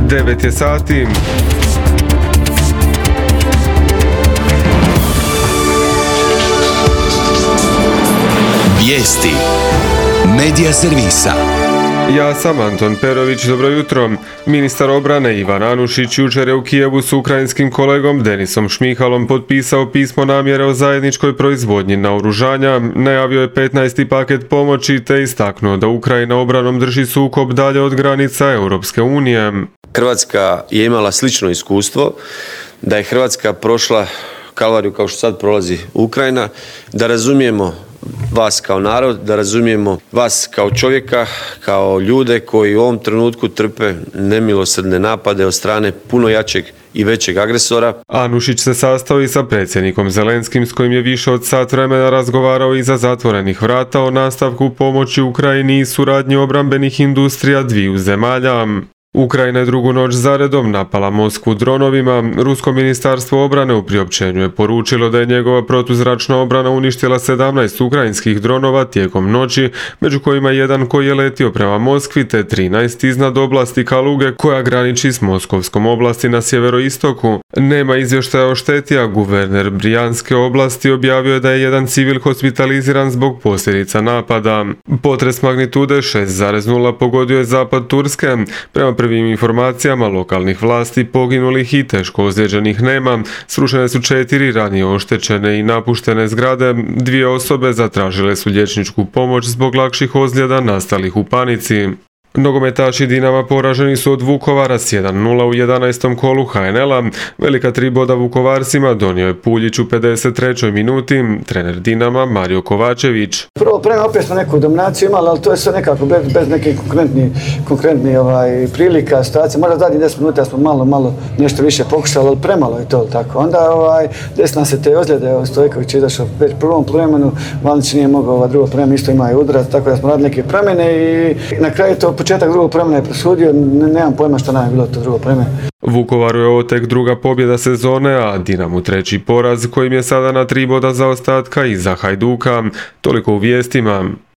9 je sati. Vijesti Medija servisa. Ja sam Anton Perović, dobro jutro. Ministar obrane Ivan Anušić jučer je u Kijevu s ukrajinskim kolegom Denisom Šmihalom potpisao pismo namjere o zajedničkoj proizvodnji naoružanja, najavio je 15. paket pomoći te istaknuo da Ukrajina obranom drži sukob dalje od granica Europske unije. Hrvatska je imala slično iskustvo, da je Hrvatska prošla kalvariju kao što sad prolazi Ukrajina, da razumijemo vas kao narod, da razumijemo vas kao čovjeka, kao ljude koji u ovom trenutku trpe nemilosrdne napade od strane puno jačeg i većeg agresora. Anušić se sastao i sa predsjednikom Zelenskim s kojim je više od sat vremena razgovarao iza zatvorenih vrata o nastavku pomoći Ukrajini i suradnji obrambenih industrija dviju zemalja. Ukrajina je drugu noć zaredom napala Moskvu dronovima. Rusko ministarstvo obrane u priopćenju je poručilo da je njegova protuzračna obrana uništila 17 ukrajinskih dronova tijekom noći, među kojima jedan koji je letio prema Moskvi te 13 iznad oblasti Kaluge koja graniči s Moskovskom oblasti na sjeveroistoku. Nema izvještaja o šteti, a guverner Brijanske oblasti objavio je da je jedan civil hospitaliziran zbog posljedica napada. Potres magnitude 6,0 pogodio je zapad Turske. Prema prvim informacijama lokalnih vlasti poginulih i teško ozlijeđenih nema. Srušene su 4 ranije oštećene i napuštene zgrade. 2 osobe zatražile su liječničku pomoć zbog lakših ozljeda nastalih u panici. Nogometaši Dinama poraženi su od Vukovara s 1:0 u 11. kolu HNL-a. Velika 3 boda Vukovarcima donio je Puljić u 53. minuti, trener Dinama Mario Kovačević. Prvo prema opet smo neku dominaciju imali, ali to je sve nekako bez nekih konkretnih prilika, situacija. Možda zadnjih 10 minuta smo malo nešto više pokušali, ali premalo je to tako. Onda desna se te ozljede, Stojković je izašao već u prvom vremenu, Vanić nije mogao, drugo vreme isto ima i udarac, tako da smo radili neke promjene i na kraju to početak drugog vremena je presudio, nemam pojma što nam je bilo to drugo vreme. Vukovaru je ovo tek druga pobjeda sezone, a Dinamu 3. poraz kojim je sada na 3 boda zaostatka iza Hajduka. Toliko u vijestima.